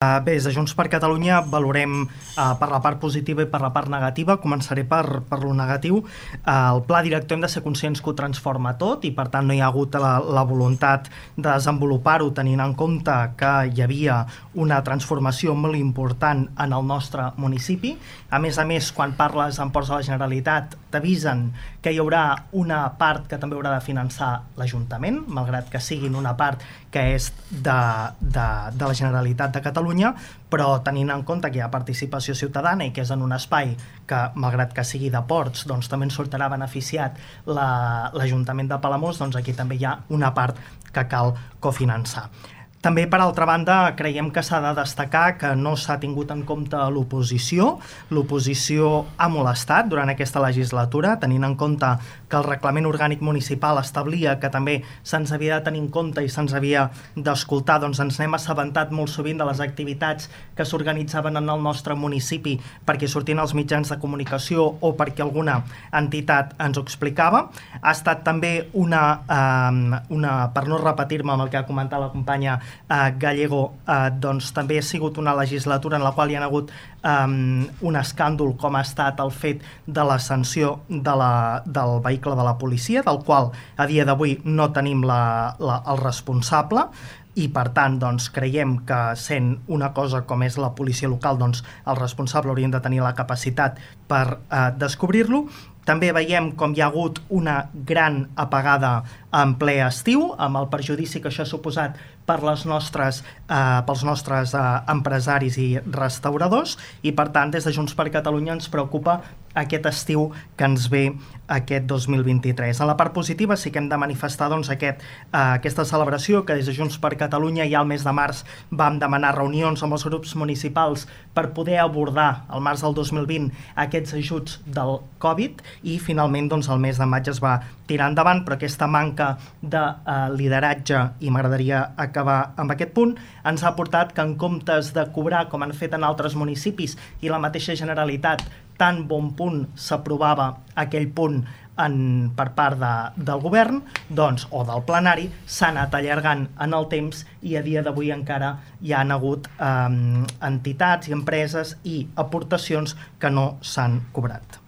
Bé, des de Junts per Catalunya valorem per la part positiva i per la part negativa. Començaré per lo negatiu. El pla director hem de ser conscients que ho transforma tot i per tant no hi ha hagut la voluntat de desenvolupar-ho tenint en compte que hi havia una transformació molt important en el nostre municipi. A més, quan parles amb ports de la Generalitat t'avisen que hi haurà una part que també haurà de finançar l'Ajuntament, malgrat que siguin una part que és de la Generalitat de Catalunya, però tenint en compte que hi ha participació ciutadana i que és en un espai que, malgrat que sigui de ports, doncs també en sortirà beneficiat l'Ajuntament de Palamós, doncs aquí també hi ha una part que cal cofinançar. També, per altra banda, creiem que s'ha de destacar que no s'ha tingut en compte l'oposició. L'oposició ha molestat durant aquesta legislatura, tenint en compte que el Reglament Orgànic Municipal establia que també se'ns havia de tenir en compte i se'ns havia d'escoltar, doncs ens n'hem assabentat molt sovint de les activitats que s'organitzaven en el nostre municipi perquè sortien als mitjans de comunicació o perquè alguna entitat ens ho explicava. Ha estat també per no repetir-me amb el que ha comentat la companya Gallego, doncs també ha sigut una legislatura en la qual hi ha hagut un escàndol com ha estat el fet de la sanció del vehicle de la policia, del qual a dia d'avui no tenim el responsable i per tant doncs, creiem que sent una cosa com és la policia local, doncs el responsable haurien de tenir la capacitat per descobrir-lo. També veiem com hi ha hagut una gran apagada en ple estiu, amb el perjudici que això ha suposat pels nostres empresaris i restauradors, i per tant des de Junts per Catalunya ens preocupa aquest estiu que ens ve aquest 2023. En la part positiva sí que hem de manifestar doncs, aquesta celebració que des de Junts per Catalunya ja al mes de març vam demanar reunions amb els grups municipals per poder abordar al març del 2020 aquests ajuts del Covid i finalment doncs, el mes de maig es va tirar endavant, però aquesta manca de lideratge, i m'agradaria acabar amb aquest punt, ens ha portat que en comptes de cobrar com han fet en altres municipis i la mateixa Generalitat tan bon punt s'aprovava aquell punt per part del govern doncs, o del plenari, s'ha anat allargant en el temps i a dia d'avui encara hi han hagut entitats i empreses i aportacions que no s'han cobrat.